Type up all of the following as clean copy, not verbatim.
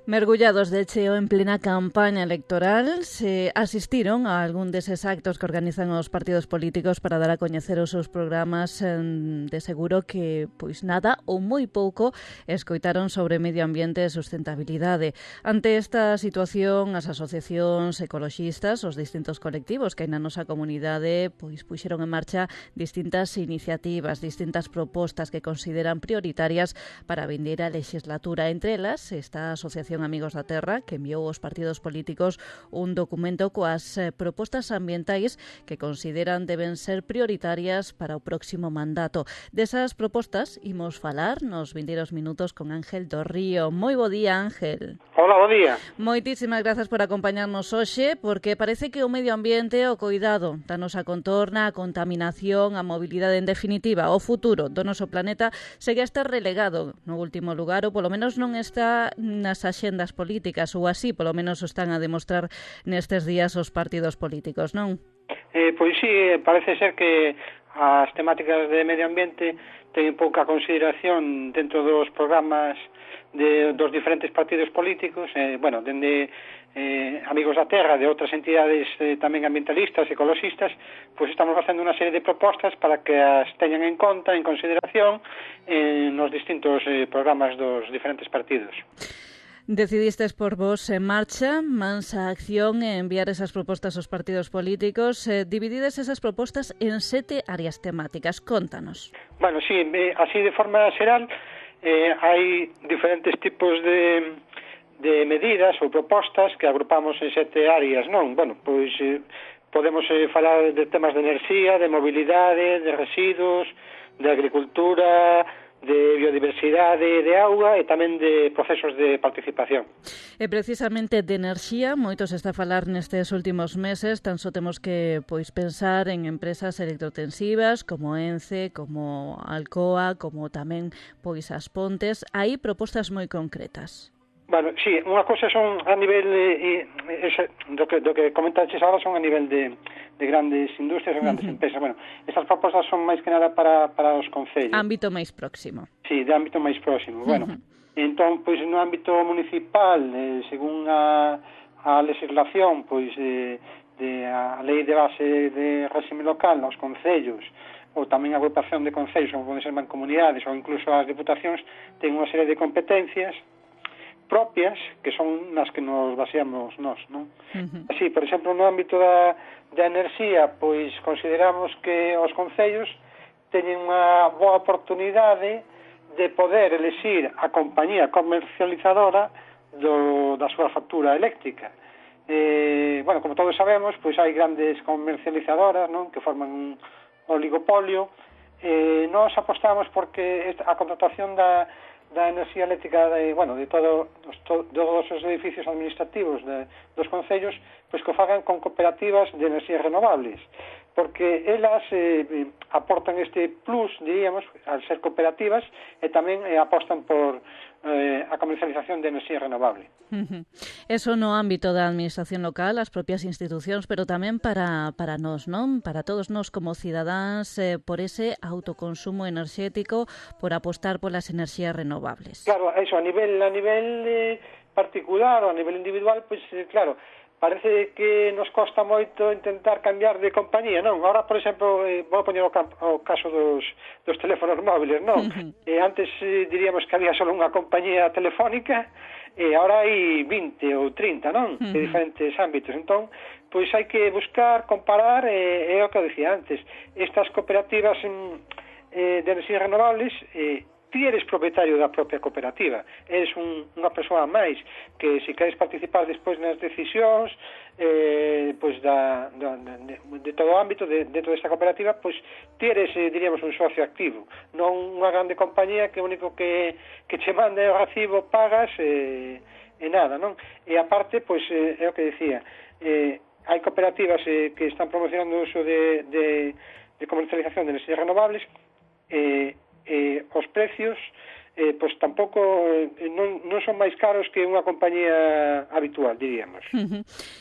Mergullados de cheo en plena campaña electoral, se asistiron a algún deses actos que organizan os partidos políticos para dar a coñecer os seus programas. De seguro que, pois nada ou moi pouco, escoitaron sobre medio ambiente e sustentabilidade. Ante esta situación, as asociacións ecoloxistas, os distintos colectivos que hai na nosa comunidade, pois puxeron en marcha distintas iniciativas, distintas propostas que consideran prioritarias para a vindeira legislatura. Entre elas, esta asociación Amigos da Terra, que enviou aos partidos políticos un documento coas propostas ambientais que consideran deben ser prioritarias para o próximo mandato. Desas propostas imos falar nos vindeiros minutos con Ángel do Río. Moi bo día, Ángel. Hola, bo día. Moitísimas grazas por acompañarnos hoxe, porque parece que o medio ambiente, o coidado da nosa contorna, a contaminación, a mobilidade, en definitiva, o futuro do noso planeta segue a estar relegado no último lugar, ou polo menos non está nas axendas políticas, ou así polo menos o están a demostrar nestes días os partidos políticos, non? Pois sí, parece ser que as temáticas de medio ambiente teñen pouca consideración dentro dos programas dos diferentes partidos políticos, dende Amigos da Terra, de outras entidades tamén ambientalistas, ecoloxistas, pois estamos facendo unha serie de propostas para que as teñan en conta, en consideración, nos distintos programas dos diferentes partidos. Decidistes por vos en marcha, mansa acción e enviar esas propostas aos partidos políticos. Dividides esas propostas en 7 áreas temáticas. Contanos. Bueno, sí, así de forma xeral, hai diferentes tipos de medidas ou propostas que agrupamos en 7 áreas, non? Bueno, pois podemos falar de temas de enerxía, de mobilidade, de residuos, de agricultura, de biodiversidade, de auga e tamén de procesos de participación. E precisamente de enerxía, moito se está a falar nestes últimos meses, tan só temos que pensar en empresas electrotensivas como Ence, como Alcoa, como tamén as Pontes. Hai propostas moi concretas. Bueno, sí, unha cosa son a nivel do que comentaches agora son a nivel de grandes industrias, grandes empresas. Bueno, estas propostas son máis que nada para os concellos. Ámbito máis próximo. Sí, de ámbito máis próximo. Bueno, entón, pois no ámbito municipal, según a legislación, pois a lei de base de réxime local nos concellos, ou tamén a agrupación de concellos, como poden ser mancomunidades ou incluso as diputacións, ten unha serie de competencias propias que son nas que nos baseamos nós, non? Así, por exemplo, no ámbito da enerxía, pois consideramos que os concellos teñen unha boa oportunidade de poder elixir a compañía comercializadora da súa factura eléctrica. Bueno, como todos sabemos, pois hai grandes comercializadoras, non, que forman un oligopolio. Nós apostamos porque a contratación da enerxía eléctrica de todos os edificios administrativos dos concellos, pois que o fagan con cooperativas de enerxías renovables, porque elas aportan este plus, diríamos, al ser cooperativas, e tamén apostan por a comercialización de enerxía renovable. Eso no ámbito da administración local, as propias institucións, pero tamén para nós, non? Para todos nós como cidadáns, por ese autoconsumo enerxético, por apostar polas enerxías renovables. Claro, eso, a nivel particular ou a nivel individual, pois claro, parece que nos costa moito intentar cambiar de compañía, non? Ahora, por exemplo, vou poñer o caso dos teléfonos móviles, non? Antes diríamos que había só unha compañía telefónica, e agora hai 20 ou 30, non? De diferentes ámbitos. Entón, pois hai que buscar, comparar, é o que eu dicía antes. Estas cooperativas de enerxías renovables, ti eres propietario da propia cooperativa, eres unha persoa máis que se queres participar despois nas decisións pois de todo o ámbito dentro desta cooperativa, pois ti eres, diríamos, un socio activo, non unha grande compañía que o único que che manda o recibo, pagas e nada, non? E aparte, pois é o que decía, hai cooperativas que están promocionando o uso de comercialización de enerxías renovables, os precios pois tampouco non son máis caros que unha compañía habitual, diríamos.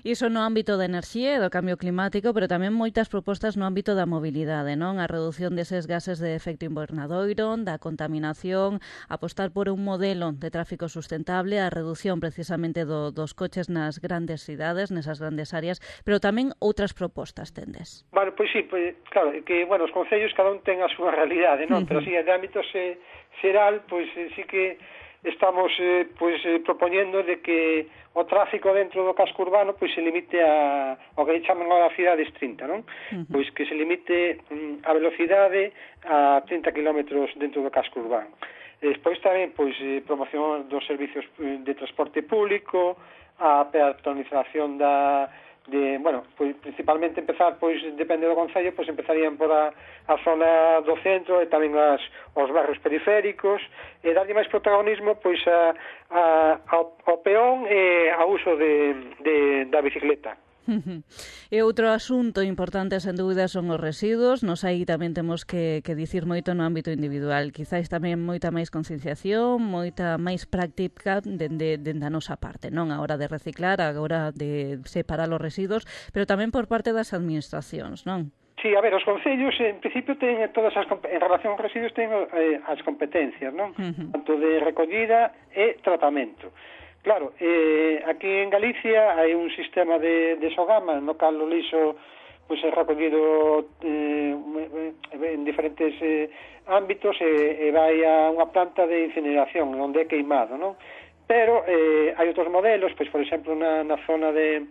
Iso no ámbito da enerxía e do cambio climático, pero tamén moitas propostas no ámbito da mobilidade, non? A reducción deses gases de efecto invernadoiro, da contaminación, apostar por un modelo de tráfico sustentable, a reducción precisamente dos coches nas grandes cidades, nesas grandes áreas, pero tamén outras propostas tendes. Bueno, pois sí, pois, claro, que, bueno, os concellos cada un ten a súa realidade, non? Pero sí, de ámbito xeral, pois sí que estamos propoñendo de que o tráfico dentro do casco urbano pois se limite ao que chaman agora cidades 30, non? Pois que se limite a velocidade a 30 km dentro do casco urbano. Despois tamén pois promoción dos servicios de transporte público, a peatonalización bueno, pois principalmente empezar, pois depende do concello, pois empezarían por a zona do centro e tamén os barrios periféricos, e darlle máis protagonismo pois ao peón e ao uso da bicicleta. E outro asunto importante, sen dúbida, son os residuos. Nos aí tamén temos que dicir moito no ámbito individual. Quizáis tamén moita máis concienciación, moita máis práctica dende a nosa parte, non? A hora de reciclar, a hora de separar os residuos, pero tamén por parte das administracións, non? Sí, a ver, os concellos en principio ten todas en relación aos residuos ten as competencias, non? Tanto de recollida e tratamento. Claro, aquí en Galicia hai un sistema de Sogama no cal o lixo pois é recollido en diferentes ámbitos e vai a unha planta de incineración onde é queimado, non? Pero hai outros modelos, pois por exemplo na zona de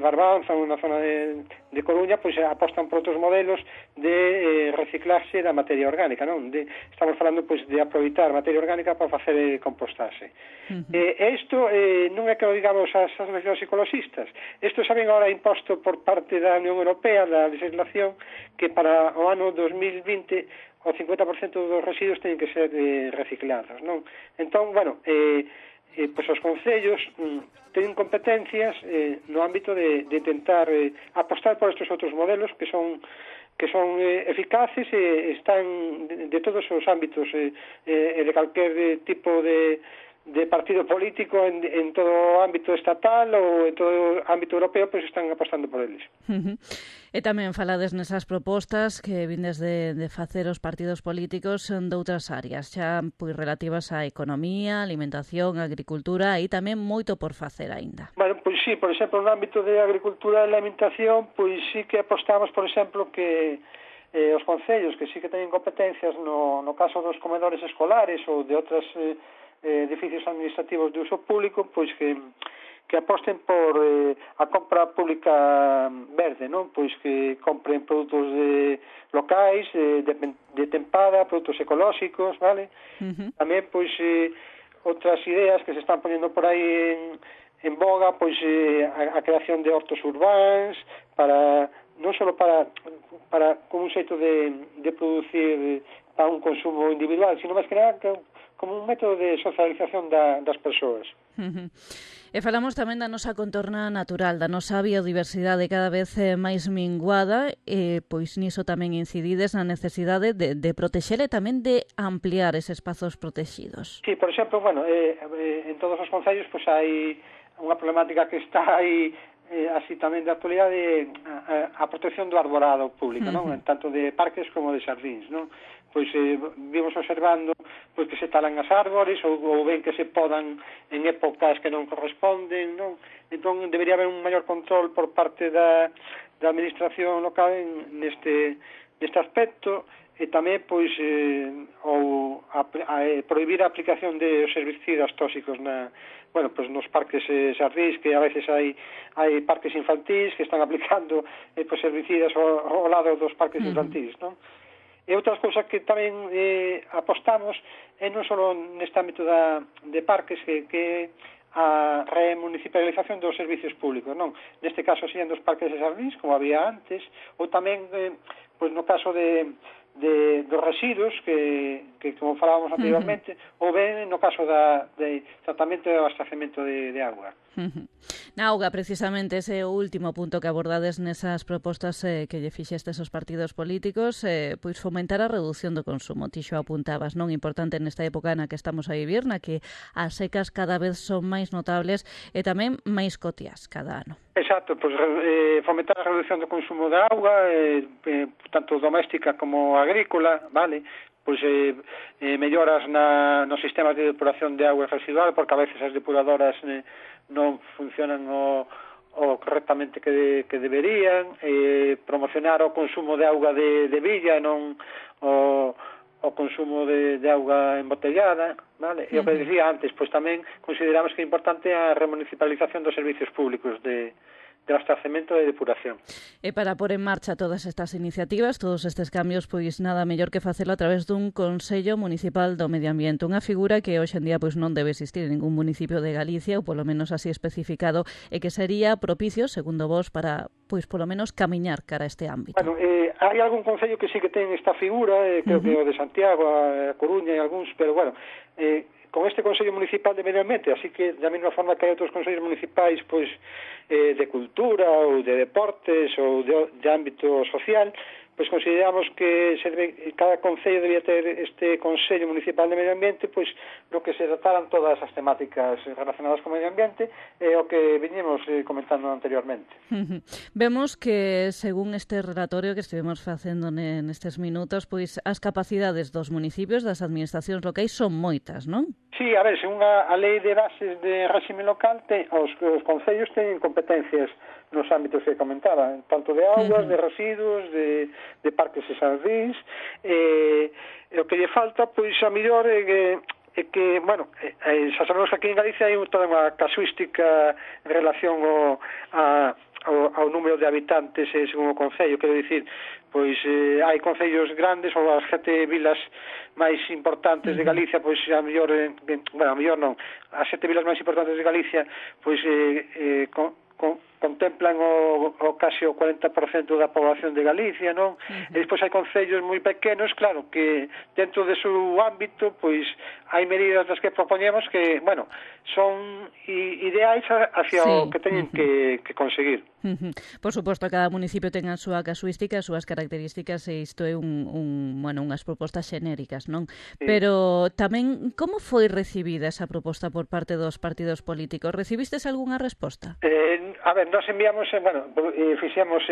Barbanza ou na zona de Coruña, pois apostan por outros modelos de reciclaxe da materia orgánica, non? Estamos falando pois de aproveitar materia orgánica para facer compostaxe. Isto non é que o digamos as asociacións ecologistas. Isto saben agora imposto por parte da Unión Europea, da legislación, que para o ano 2020 o 50% dos residuos teñen que ser reciclados, non? Entón, bueno, pois os concellos teñen competencias no ámbito de intentar apostar por estes outros modelos que son eficaces e están de todos os ámbitos e de calquer tipo de partido político en todo o ámbito estatal ou en todo o ámbito europeo, pois están apostando por eles. E tamén falades nesas propostas que vindes de facer os partidos políticos de outras áreas, xa pois relativas á economía, alimentación, agricultura e tamén moito por facer aínda. Bueno, pois sí, por exemplo, no ámbito de agricultura e alimentación, pois sí que apostamos, por exemplo, que os concellos que sí que teñen competencias no caso dos comedores escolares ou de outras edificios administrativos de uso público, pois que aposten por a compra pública verde, non? Pois que compren produtos locais, de tempada, produtos ecolóxicos, vale? Tamén, pois, outras ideas que se están poniendo por aí en boga, pois a creación de hortos urbáns, non só para como un xeito de producir para un consumo individual, sino máis que nada como un método de socialización das persoas. E falamos tamén da nosa contorna natural, da nosa biodiversidade cada vez máis minguada, e pois niso tamén incidides na necesidade de protexer e tamén de ampliar eses espazos protegidos. Sí, por exemplo, bueno, en todos os concellos pois hai unha problemática que está aí así tamén de actualidade, a protección do arborado público, non? Tanto de parques como de xardíns, non? Pois vimos observando pois que se talan as árbores ou ben que se podan en épocas que non corresponden, non? Entón debería haber un maior control por parte da administración local neste aspecto, e tamén pois prohibir a aplicación de herbicidas tóxicos nos parques xardíns, que a veces hai parques infantís que están aplicando herbicidas ao lado dos parques infantís, non? E outras cousas que tamén apostamos non só neste ámbito de parques, que a remunicipalización dos servicios públicos, non? Neste caso serían dos parques de xardíns, como había antes, ou tamén pois no caso dos residuos que como falábamos anteriormente, ou ben no caso de tratamento e abastecemento de agua. Na auga, precisamente, ese último punto que abordades nesas propostas que lle fixestes aos partidos políticos, pois fomentar a reducción do consumo. Ti xo apuntabas, non? Importante nesta época na que estamos a vivir, na que as secas cada vez son máis notables e tamén máis cotiás cada ano. Exacto, pois fomentar a reducción do consumo de auga, tanto doméstica como agrícola, vale? Pois melloras nos sistemas de depuración de auga residual, porque a veces as depuradoras non funcionan o correctamente que deberían, promocionar o consumo de auga de villa e non o consumo de auga embotellada, vale? E o que dicía antes, pois tamén consideramos que é importante a remunicipalización dos servicios públicos de abastecemento e depuración. E para pôr en marcha todas estas iniciativas, todos estes cambios, pois nada mellor que facelo a través dun Consello Municipal do Medio Ambiente, unha figura que hoxe en día pois non debe existir en ningún municipio de Galicia, ou polo menos así especificado, e que sería propicio, segundo vos, para, pois polo menos, camiñar cara a este ámbito. Bueno, hai algún concello que sí que ten esta figura, creo que o de Santiago, a Coruña e algúns, pero bueno, con este Consello Municipal de Medio Ambiente, así que da mesma forma que hai outros consellos municipais pois de cultura ou de deportes ou de ámbito social, pois consideramos que cada concello debía ter este Consello Municipal de Medio Ambiente, pois no que se trataran todas as temáticas relacionadas con o medio ambiente e o que viñemos comentando anteriormente. Vemos que, según este relatorio que estivemos facendo nestes minutos, pois as capacidades dos municipios, das administracións locais, son moitas, non? Sí, a ver, según a lei de bases de réxime local, os concellos teñen competencias nos ámbitos que comentaba, tanto de augas, de residuos, de parques e xardíns, e o que lle falta, pois, a mellor é que, bueno, xa sabemos que aquí en Galicia hai toda unha casuística en relación ao número de habitantes según o concello, quero dicir, pois hai concellos grandes ou as 7 vilas máis importantes de Galicia, pois a mellor, bueno, a mellor non, as 7 vilas máis importantes de Galicia, pois contemplan casi o 40% da población de Galicia, non? E despois hai concellos moi pequenos, claro, que dentro de seu ámbito, pois hai medidas das que propoñemos que, bueno, son ideais hacia o que teñen que conseguir. Por suposto, cada municipio ten a súa casuística, as súas características, e isto é unhas propostas xenéricas, non? Sí. Pero tamén, como foi recibida esa proposta por parte dos partidos políticos? Recibistes algunha resposta? A ver, nós enviamos, fixemos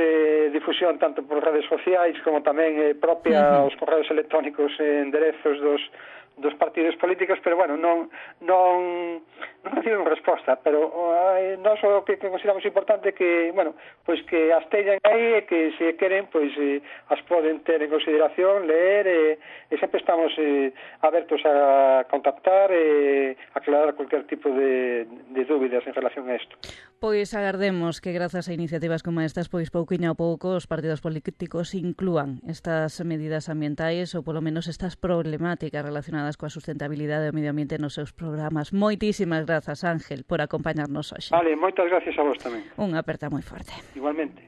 difusión tanto por redes sociais como tamén propia os correos electrónicos enderezos dos partidos políticos, pero bueno, non reciben resposta, pero nós o que consideramos importante que, bueno, pois que as teñan aí e que se queren, pois as poden ter en consideración, leer, e sempre estamos abertos a contactar e aclarar cualquier tipo de dúbidas en relación a isto. Pois agardemos que grazas a iniciativas como estas, pois pouquiño a pouco os partidos políticos inclúan estas medidas ambientais ou polo menos estas problemáticas relacionadas coa sustentabilidade do medio ambiente nos seus programas. Moitísimas grazas, Ángel, por acompañarnos hoxe. Vale, moitas gracias a vos tamén. Unha aperta moi forte. Igualmente.